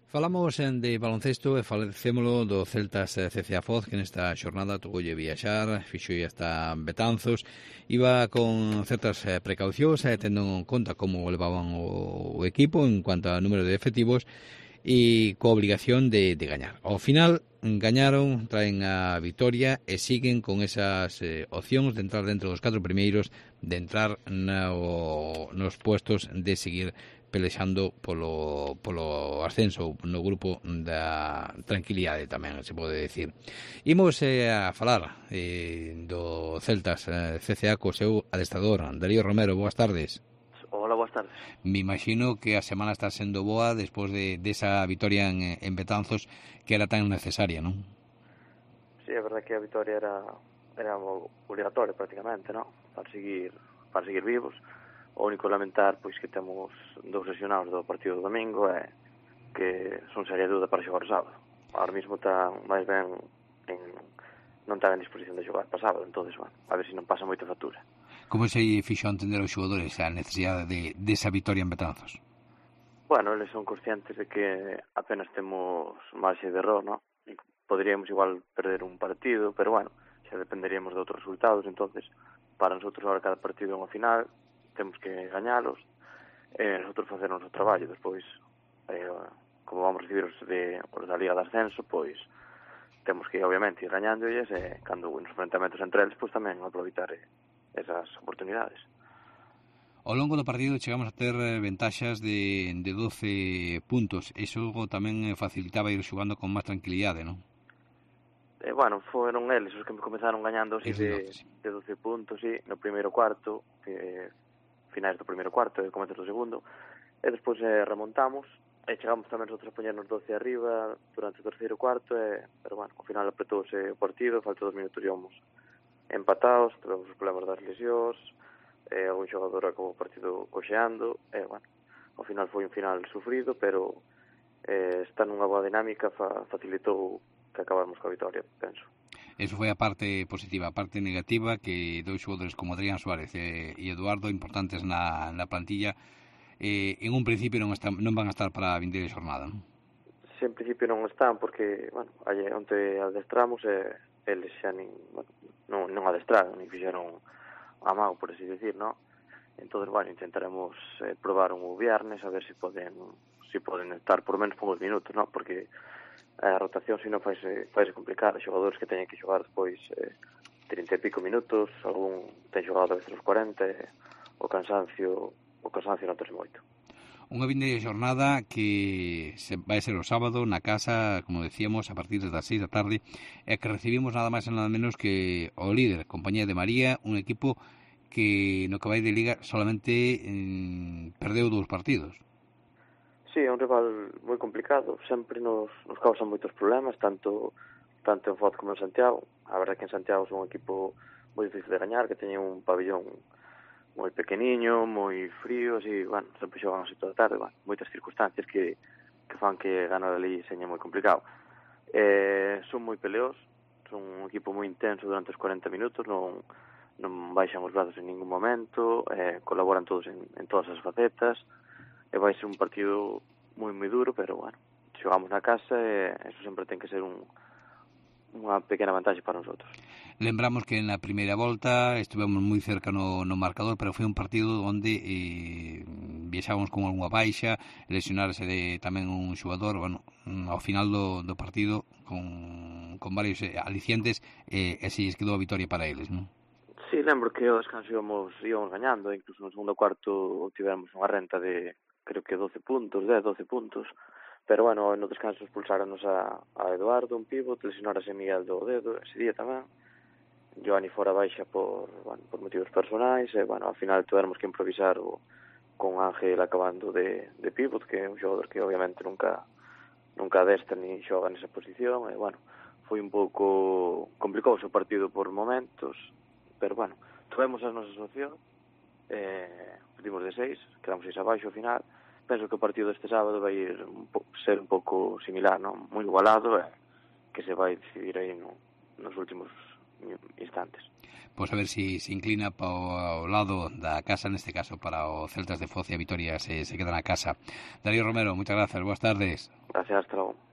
Falamos de baloncesto e falecémolo do Celtas CCA Foz, que nesta xornada tuvolle viaxar, fixolle hasta Betanzos, iba con certas precaucións, tendo en conta como levaban o equipo en cuanto a número de efectivos e coa obligación de gañar. Ao final gañaron, traen a vitoria e siguen con esas opcións de entrar dentro dos 4 primeiros, de entrar nos puestos de seguir pelexando polo ascenso no grupo da tranquilidade tamén, se pode decir. Imos a falar do Celtas CCA co seu adestrador, Darío Romero. Boas tardes. Hola, boas tardes. Me imagino que a semana está sendo boa despois de esa vitoria en Betanzos, que era tan necesaria, non? Sí, é verdade que a vitoria era obligatoria prácticamente, non? Para seguir vivos. O único lamentar pois que temos 2 lesionados do partido do domingo e que son seria dúda para xogar o sábado. Ahora mismo está máis ben non está en disposición de xogar para sábado, entonces, bueno, a ver se non pasa moita factura. Como se fixo a entender os xogadores a necesidade desa vitoria en Betanzos? Bueno, eles son conscientes de que apenas temos marxe de error, non? Poderíamos igual perder un partido, pero bueno, xa dependeríamos de outros resultados, entonces, para nosotros ahora cada partido é unha final, temos que gañalos, nosotros facer o noso traballo, despois, como vamos recibir os da Liga de Ascenso, pois temos que, obviamente, ir gañándolles e, cando nos enfrentamentos entre eles, pois tamén aproveitar esas oportunidades. Ao longo do partido chegamos a ter ventaxas de 12 puntos. Iso tamén facilitaba ir xogando con máis tranquilidade, non? Bueno, foron eles os que me comenzaron gañando así de 12 puntos, sí, no primeiro cuarto, finais do primeiro cuarto e comezos do segundo, e despois remontamos, e chegamos tamén nosotros a poñernos 12 arriba durante o terceiro cuarto, pero bueno, ao final apretóuse o partido, falta 2 minutos e íamos empatados, tivemos os problemas das lesións, algún xogador acabou o partido coxeando, e bueno, ao final foi un final sufrido, pero está nunha boa dinámica, facilitou que acabamos coa vitoria, penso. Eso foi a parte positiva. A parte negativa, que 2 xogadores como Adrián Suárez e Eduardo, importantes na plantilla, en un principio non van a estar para a vindeira xornada, non? Si, en principio non están, porque, bueno, onte adestramos e eles xa non adestraron, nin fixeron amago, por así decir, non? Entón, bueno, intentaremos probar un viernes, a ver se poden estar por menos poucos minutos, non? Porque a rotación se non faise complicada, xogadores que teñen que xogar despois 30 e pico minutos, algún ten xogado a veces os 40, o cansancio notase moito. Unha vindeira xornada que vai ser o sábado na casa, como decíamos, a partir das 6 da tarde, e que recibimos nada máis e nada menos que o líder, Compañía de María, un equipo que no que vai de Liga solamente perdeu 2 partidos. Sí, é un rival moi complicado, sempre nos causan moitos problemas, tanto en Foz como en Santiago. A verdade que en Santiago son un equipo moi difícil de gañar, que teñen un pabellón moi pequeniño, moi frío, así, bueno, sempre xogan así toda a tarde, bueno, moitas circunstancias que fan que ganar ali seña moi complicado. Son moi peleos, son un equipo moi intenso durante os 40 minutos, non baixan os brazos en ningún momento, colaboran todos en todas as facetas, e vai ser un partido moi duro, pero bueno, xogamos na casa e eso sempre ten que ser unha pequena vantaxe para nosotros. Lembramos que na primeira volta estivemos moi cerca no marcador, pero foi un partido onde viaxábamos con algunha baixa, lesionarse tamén un xogador, bueno, ao final do partido con varios alicientes, e así quedou a vitoria para eles, non? Sí, lembro que ao descanso íbamos gañando, incluso no segundo cuarto tivemos unha renta de creo que 12 puntos, pero bueno, no descanso expulsáronos a Eduardo, un pivot, lesionárase Miguel do dedo ese día tamén, Joani fora baixa por motivos personais, e bueno, ao final tivemos que improvisar con Ángel acabando de pivot, que é un xogador que obviamente nunca adestra ni xoga nesa posición, e bueno, foi un pouco complicoso o partido por momentos, pero bueno, tuvemos as nosas opcións, perdimos de 6, quedamos 6 abaixo ao final. Penso que o partido deste sábado vai ser un pouco similar, non? Moi igualado, que se vai decidir aí nos últimos instantes. Pois a ver se inclina para o lado da casa, neste caso para o Celtas de Foz, e a vitoria se queda na casa. Darío Romero, moitas grazas, boas tardes. Gracias, hasta logo.